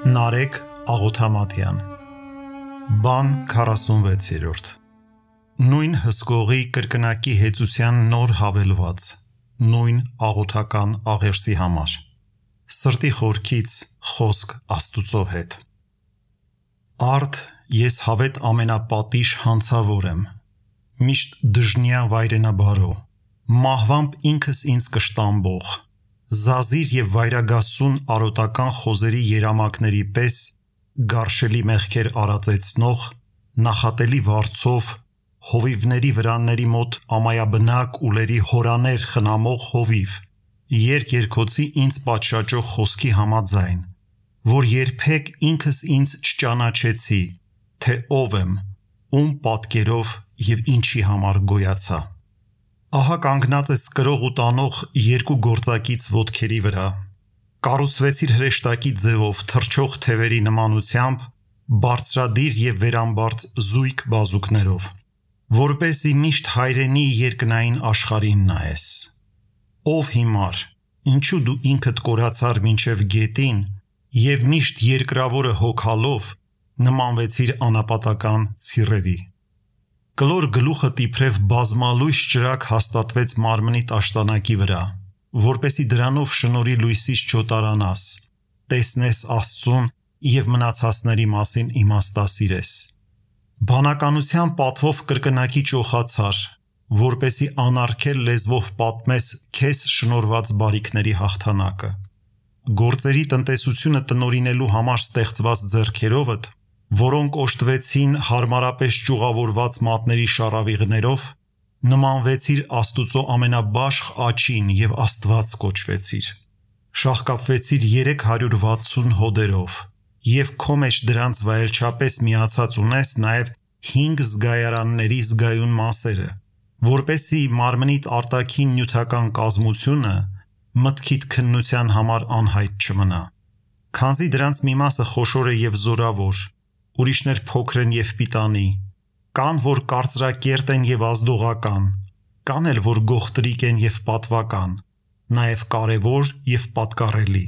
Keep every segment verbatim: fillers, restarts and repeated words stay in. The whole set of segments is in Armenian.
Նարեկ Աղոթամատյան Բան քառասունվեցերորդ Նույն հսկողի կրկնակի հեծության նոր հավելված Նույն աղոթական աղերսի համար Սրտի խորքից խոսք Աստուծո հետ Արդ ես հավետ ամենապատիժ հանցավոր եմ Միշտ դժնյա վայրենաբարո Մահվամբ ինքս ինձ կշտամբող Զազիր և վայրագասուն արոտական խոզերի երամակների պես գարշելի մեղքեր արածեցնող, նախատելի վարձով, հովիվների վրանների մոտ ամայաբնակ ուլերի հորաներ խնամող հովիվ, երկ-երգոցի ինձ պատշաճող խոսքի համաձայն, որ երբեք ինքս ինձ չճանաչեցի, թե ով եմ, ում պատկերով և ինչի համար գոյացա։ Ահա կանգնած ես կրող ու տանող երկու գործակից ոտքերի վրա, կառուցվեցիր հրեշտակի ձևով թռչող թևերի նմանությամբ, բարձրադիր և վերամբարձ զույգ բազուկներով, որպեսզի միշտ հայրենի երկնային աշխարհին նայես։ Ով հիմար, ինչու դու ինքդ կորացար մինչև գետին և միշտ երկրավորը հոգալով նմանվեցիր անապատական ցիրերի։ Կլոր գլուխդ իբրև բազմալույս ճրագ հաստատվեց մարմնիդ աշտանակի վրա, որպեսզի դրանով շնորհի լույսից չոտարանաս, տեսնես Աստծուն և մնացածների մասին իմաստասիրես։ Բանականության պատվով կրկնակի ճոխացար, որպեսզի անարգել լեզվով պատմես քեզ շնորհված բարիքների հաղթանակը։ Գործերի տնտեսությունը տնօրինելու համար ստեղծված ձեռքերովդ, որոնք օժտվեցին հարմարապես ճյուղավորված մատների շառավիղներով, նմանվեցիր Աստուծո ամենաբաշխ աջին և Աստված կոչվեցիր։ Շաղկապվեցիր երեք հարյուր վաթսուն հոդերով և քո մեջ դրանց վայելչապես միացած ունես նաև հինգ զգայարանների զգայուն մասերը, որպեսզի մարմնիդ արտաքին նյութական կազմությունը մտքիդ քննության համար անհայտ չմնա։ Քանզի դրանց մի մասը խոշոր է և զորավոր, ուրիշներ փոքր են և պիտանի, կան, որ կարծրակերտ են և ազդողական, կան էլ, որ գողտրիկ են և պատվական, նաև կարևոր և պատկառելի։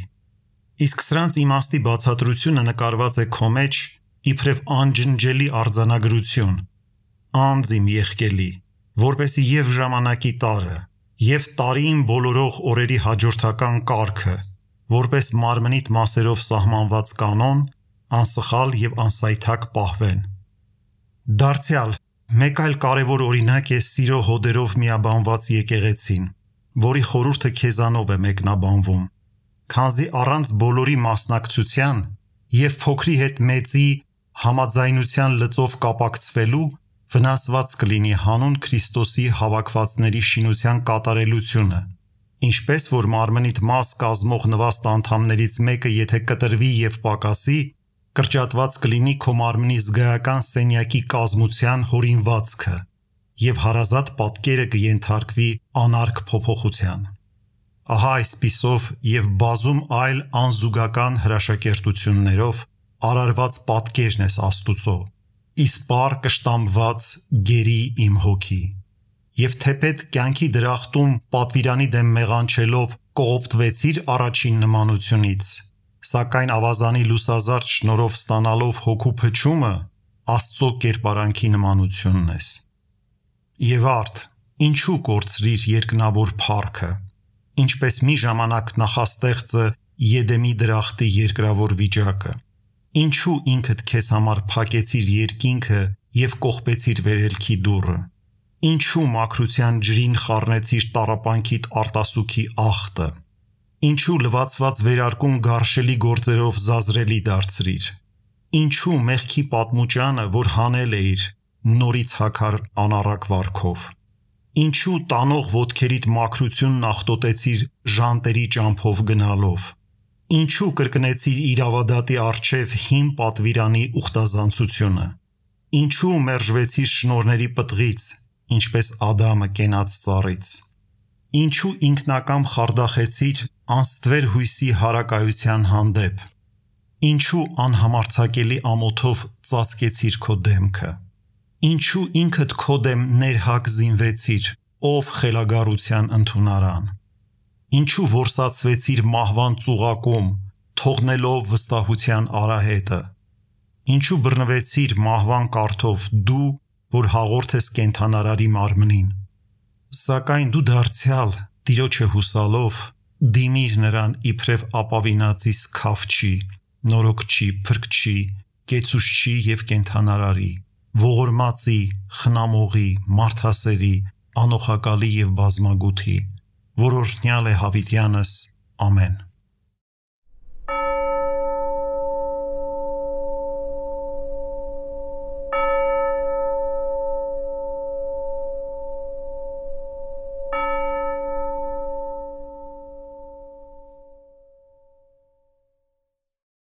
Իսկ սրանց իմաստի բացատրությունը նկարված է քո մեջ իբրև անջնջելի արձանագրություն, անձ իմ եղկելի, որպեսզի և ժամանակի տարը, և տարիին բոլորող օրերի հաջորդական կարգը, որպես մարմնիդ մասերով սահմանված կանոն, անսխալ և անսայթակ պահվեն։ Դարձյալ, մեկ այլ կարևոր օրինակ է սիրո հոդերով միաբանված եկեղեցին, որի խորհուրդը քեզանով է մեկնաբանվում, քանզի առանց բոլորի մասնակցության և փոքրի հետ մեծի համաձայնության լծով կապակցվելու վնասված կլինի հանուն Քրիստոսի հավաքվածների շինության կատարելությունը, ինչպես որ մարմնիդ մաս կազմող նվաստ անդամներից մեկը եթե կտրվի և պակասի, կրճատված կլինի քո մարմնի զգայական սենյակի կազմության հորինվածքը և հարազատ պատկերը կենթարկվի անարգ փոփոխության։ Ահա այսպիսով և բազում այլ անզուգական հրաշակերտություններով արարված պատկերն ես Աստուծո, իսպառ կշտամբված գերի իմ հոգի։ Եվ թեպետ կյանքի դրախտում պատվիրանի դեմ մեղանչելով կողոպտվեցիր առաջին նմանությունից, սակայն ավազանի լուսազարդ շնորհով ստանալով հոգու փչումը Աստծո կերպարանքի նմանությունն ես։ Եվ արդ, ինչու կորցրիր երկնավոր փառքը, ինչպես մի ժամանակ նախաստեղծը Եդեմի դրախտի երկրավոր վիճակը, ինչու ինքդ քեզ համար փակեցիր երկինքը և կողպեցիր վերելքի դուռը, ինչու մաքրության ջրին խառնեցիր տառապանքիդ արտասուքի աղտը, ինչու լվացված վերարկուն գարշելի գործերով զազրելի դարձրիր, ինչու մեղքի պատմուճանը, որ հանել էիր, նորից հագար անառակ վարքով, ինչու տանող ոտքերիդ մաքրությունն աղտոտեցիր ժանտերի ճամփով գնալով, ինչու կրկնեցիր իրավադատի առջև հին պատվիրանի ուխտազանցությունը, ինչու մերժվեցիր շնորհների պտղից, ինչպես Ադամը կենաց ծառից, ինչու ինքնակամ խարդախեցիր անստվեր հույսի հարակայության հանդեպ, ինչու անհամարձակելի ամոթով ծածկեցիր քո դեմքը, ինչու ինքդ քո դեմ ներհակ զինվեցիր, ով խելագարության ընդունարան, ինչու որսացվեցիր մահվան ծուղակում, թողնելով վստահության արահետը։ Ինչու բռնվեցիր մահվան կարթով դու, որ հաղորդ ես կենդանարարի մարմնին։ Սակայն դու դարձյալ Տիրոջը հուսալով դիմիր նրան իբրև ապավինածի սքավչի, նորոգչի, փրկչի, կեցուցչի և կենդանարարի, ողորմածի, խնամողի, մարդասերի, անոխակալի և բազմագութի, որ օրհնյալ է հավիտյանս, ամեն։